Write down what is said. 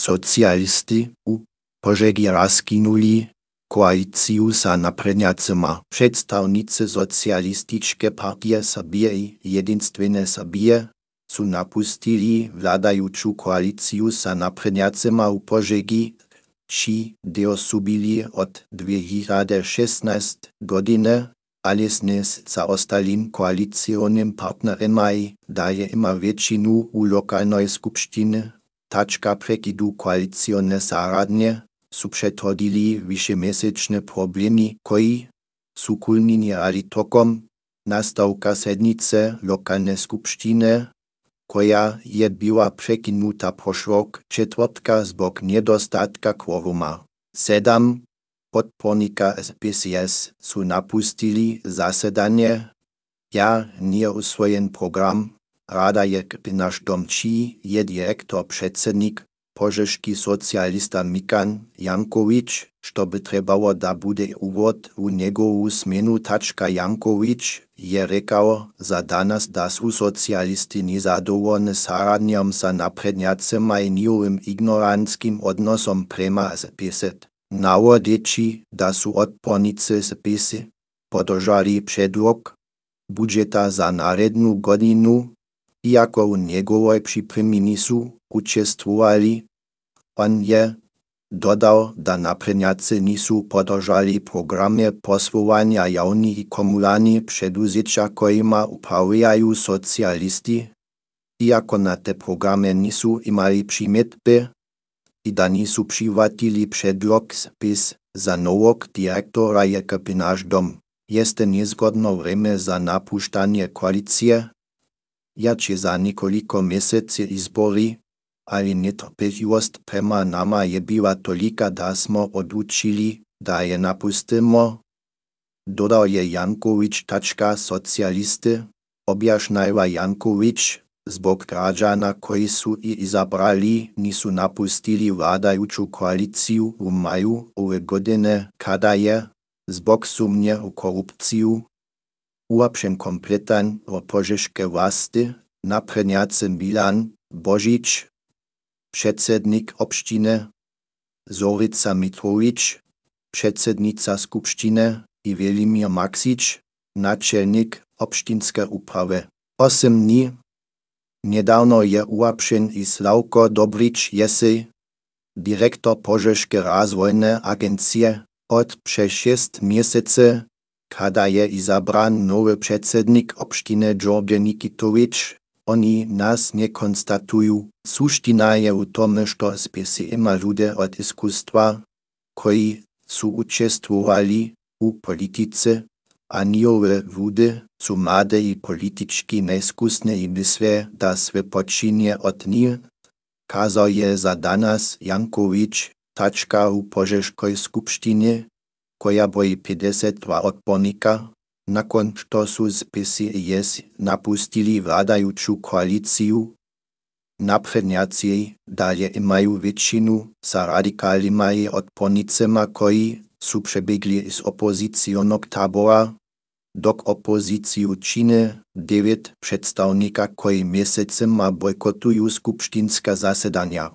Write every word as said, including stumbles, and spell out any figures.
Socialisti u Požegi raskinuli koalíciu sa napredňacima. Představnice Socialističke partie Srbije i Jedinstvene Srbije su napustili vládajuću koalíciu sa napredňacima u Požegi, či dio su bili od dvě tisíce šestnáct godine, ale snes sa ostalim koalicionim partnerima i daje ima většinu u lokalnej skupštine, tačka prekidu koalicione saradnje, su předhodili višemesečne problémy, koji su kulminirali tokom nastavka sednice lokalne skupštine, koja je bila prekinuta prošlog četvrtka zbog nedostatka kvoruma. Sedam podpornika S P C S su napustili zasedanje, ja nije usvojen program, rada je Naš dom, čí je direktor předsednik, požeški socialista Mikan Jankovič, što by trebalo da bude uvod u njegovu smenu. Tačka Jankovič je rekao za danas da su socialisti nezadovoljni saradnjom sa napredňacima i njihovim ignorantskim odnosom prema S P S. Navodeći da su odpornici S P S podržali predlog budžeta za narednu godinu, iako u njegovoj pripremi nisu učestvovali. On je dodal, da napredňaci nisu podržali programe poslovanja javnih i komunalnih preduzeća kojima upravljaju socialisti, iako na te programe nisu imali primjedbe, i da nisu prihvatili predlog S P S za novog direktora je Naš dom. Jeste nezgodno vreme za napuštanje koalicije, jače za nekoliko meseci izbori, ali netrpeljivost prema nama je bila tolika da smo odlučili, da je napustimo, dodal je Jankovič. Tačka socialiste, objašnjava Jankovič, zbog građana koji su i izabrali nisu napustili vladajuću koaliciju u maju ove godine, kada je, zbog sumnje u korupciju, uopćen kompletan o požeške vlasti, napredňaci Milan Božič, předsednik opštine, Zorica Mitrovič, předsednica skupštine i Velimir Maksič, načelnik opštinske uprave. Osm dní nedávno je uopćen i Slavko Dobrič Jesej, direktor Požeške razvojne agencije. Od přes šest měsece, kada je izabran nowy předsednik opštine Đorđe Nikitovič, oni nas ne konstatuju. Suština je u tome, što S P S ima ljude od iskustva, koji su učestvovali u politice, a njihove ljude su mlade i politički neiskusne i misle, da sve počinje od njih, kazao je za danas Jankovič. Tačka u Požeškoj skupštini, koja broji pedeset dva odbornika, nakon što su S P S i S napustili vladajuću koaliciju. Napredňaci dalje imaju većinu sa radikalima i odbornicima koji su prebjegli iz opozicionog tabora, dok opoziciju čine devet predstavnika koji mjesecima bojkotuju skupštinska zasedanja.